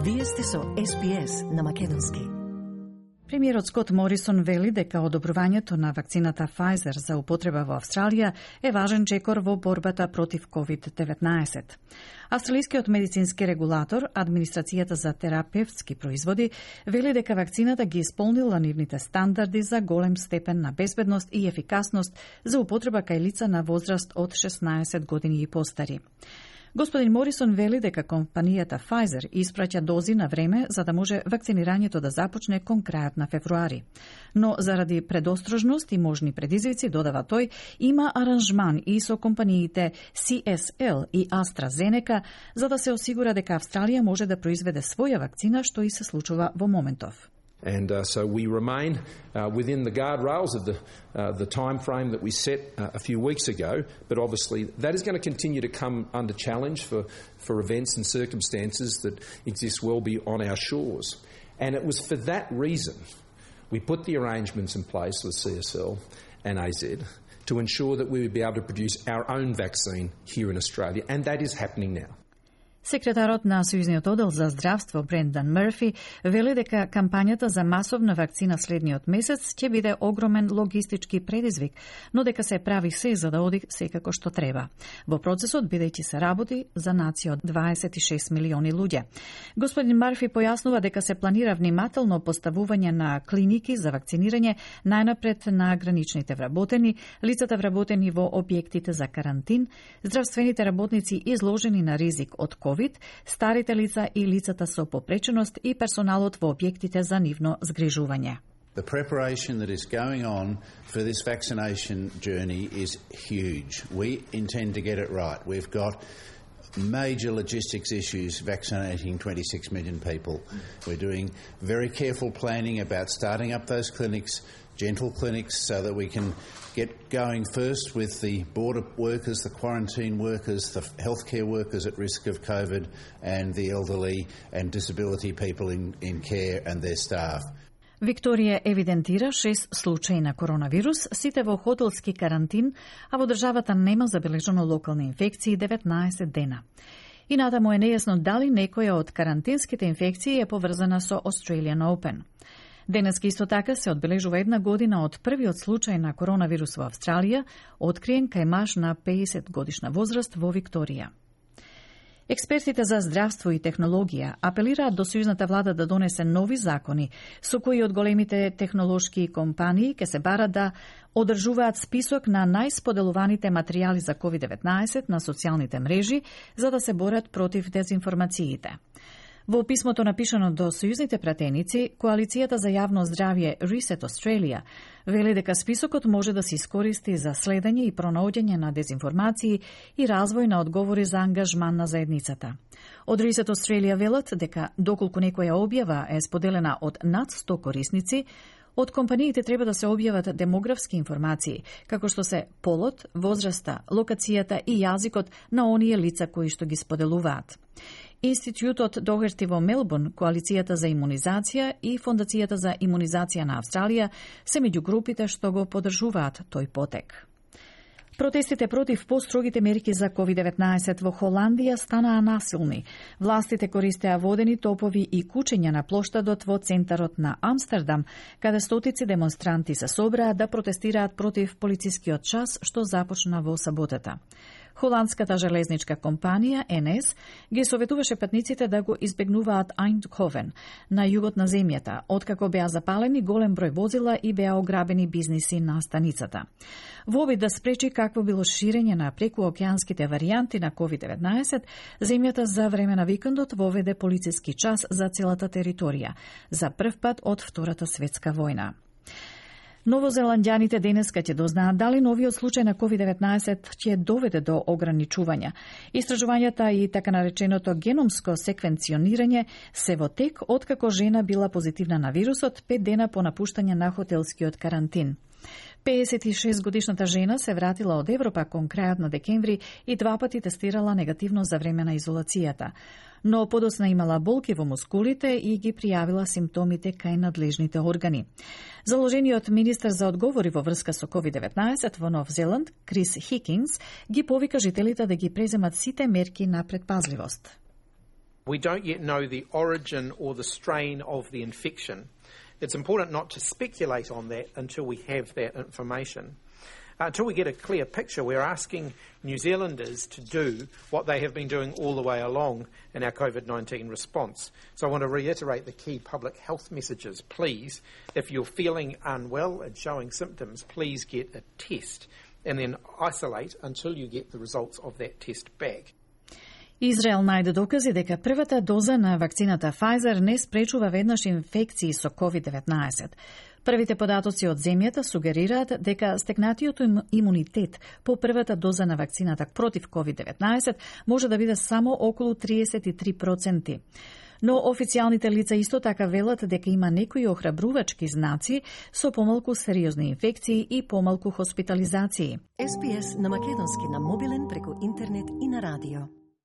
Вие сте со СПС на македонски. Премиерот Скот Морисон вели дека одобрувањето на вакцината Pfizer за употреба во Австралија е важен чекор во борбата против COVID-19. Австралискиот медицински регулатор, Администрацијата за терапевтски производи, вели дека вакцината ги исполнила нивните стандарди за голем степен на безбедност и ефикасност за употреба кај лица на возраст од 16 години и постари. Господин Морисон вели дека компанијата Pfizer испраќа дози на време за да може вакцинирањето да започне кон крајот на февруари. Но заради предострожност и можни предизвици, додава тој, има аранжман и со компаниите CSL и AstraZeneca за да се осигура дека Австралија може да произведе своја вакцина, што и се случува во моментов. And so we remain within the guardrails of the time frame that we set a few weeks ago, but obviously that is going to continue to come under challenge for events and circumstances that exist well beyond our shores. And it was for that reason we put the arrangements in place with CSL and AZ to ensure that we would be able to produce our own vaccine here in Australia, and that is happening now. Секретарот на Сојузниот оддел за здравство Брендан Мърфи вели дека кампањата за масовна вакцина следниот месец ќе биде огромен логистички предизвик, но дека се прави се за да оди секако што треба. Во процесот бидејќи се работи за нација од 26 милиони луѓе. Господин Мърфи појаснува дека се планира внимателно поставување на клиники за вакцинирање најнапред на граничните вработени, лицата вработени во објектите за карантин, здравствените работници изложени на ризик од COVID, старите лица и лицата со попреченост и персоналот во објектите за нивно згрижување. The preparation that is going on for this vaccination journey is huge. We intend to get it right. We've got major logistics issues vaccinating 26 million people. We're doing very careful planning about starting up those clinics, gentle clinics, so that we can get going first with the border workers, the quarantine workers, the healthcare workers at risk of COVID, and the elderly and disability people in care and their staff. Викторија евидентира 6 случаи на коронавирус, сите во хотелски карантин, а во државата нема забележано локални инфекции 19 дена. И натаму е нејасно дали некоја од карантинските инфекции е поврзана со Australian Open. Денеска исто така се одбележува една година од првиот случај на коронавирус во Австралија, откриен кај маж на 50 годишна возраст во Викторија. Експертите за здравство и технологија апелираат до сојузната влада да донесе нови закони со кои од големите технолошки компании ќе се бара да одржуваат список на најсподелуваните материјали за COVID-19 на социјалните мрежи за да се борат против дезинформациите. Во писмото напишано до сојузните пратеници, Коалицијата за јавно здравје Reset Australia вели дека списокот може да се искористи за следење и пронаоѓање на дезинформации и развој на одговори за ангажман на заедницата. Од Reset Australia велат дека доколку некоја објава е споделена од над 100 корисници, од компаниите треба да се објават демографски информации, како што се полот, возраста, локацијата и јазикот на оние лица кои што ги споделуваат. Институтот Догерти во Мелбурн, Коалицијата за имунизација и Фондацијата за имунизација на Австралија се меѓу групите што го поддржуваат тој потек. Протестите против построгите мерки за COVID-19 во Холандија станаа насилни. Властите користеа водени топови и кучења на плоштадот во центарот на Амстердам, каде стотици демонстранти се собраа да протестираат против полицискиот час што започна во саботата. Холандската железничка компанија НС ги советуваше патниците да го избегнуваат Eindhoven на југот на земјата, откако беа запалени голем број возила и беа ограбени бизниси на станицата. Во обид да спречи какво било ширење на прекуокеанските варијанти на COVID-19, земјата за време на викендот воведе полициски час за целата територија, за прв пат од Втората светска војна. Новозеландјаните денеска ќе дознаат дали новиот случај на COVID-19 ќе доведе до ограничувања. Истражувањата и така нареченото геномско секвенционирање се во тек откако жена била позитивна на вирусот 5 дена по напуштање на хотелскиот карантин. 56 годишната жена се вратила од Европа кон крајот на декември и 2 пати тестирала негативно за време на изолацијата. Но подосна имала болки во мускулите и ги пријавила симптомите кај надлежните органи. Заложениот министер за одговори во врска со COVID-19 во Нов Зеланд, Крис Хикинс, ги повика жителите да ги преземат сите мерки на предпазливост. We don't yet know the origin or the strain of the infection. It's important not to speculate on that until we have that information. Until we get a clear picture, we're asking New Zealanders to do what they have been doing all the way along in our COVID-19 response. So I want to reiterate the key public health messages. Please, if you're feeling unwell and showing symptoms, please get a test and then isolate until you get the results of that test back. Израел најде докази дека првата доза на вакцината Pfizer не спречува веднаш инфекции со COVID-19. Првите податоци од земјата сугерираат дека стекнатиот имунитет по првата доза на вакцината против COVID-19 може да биде само околу 33%. Но официјалните лица исто така велат дека има некои охрабрувачки знаци со помалку сериозни инфекции и помалку хоспитализации. SPS на македонски на мобилен преку интернет и на радио.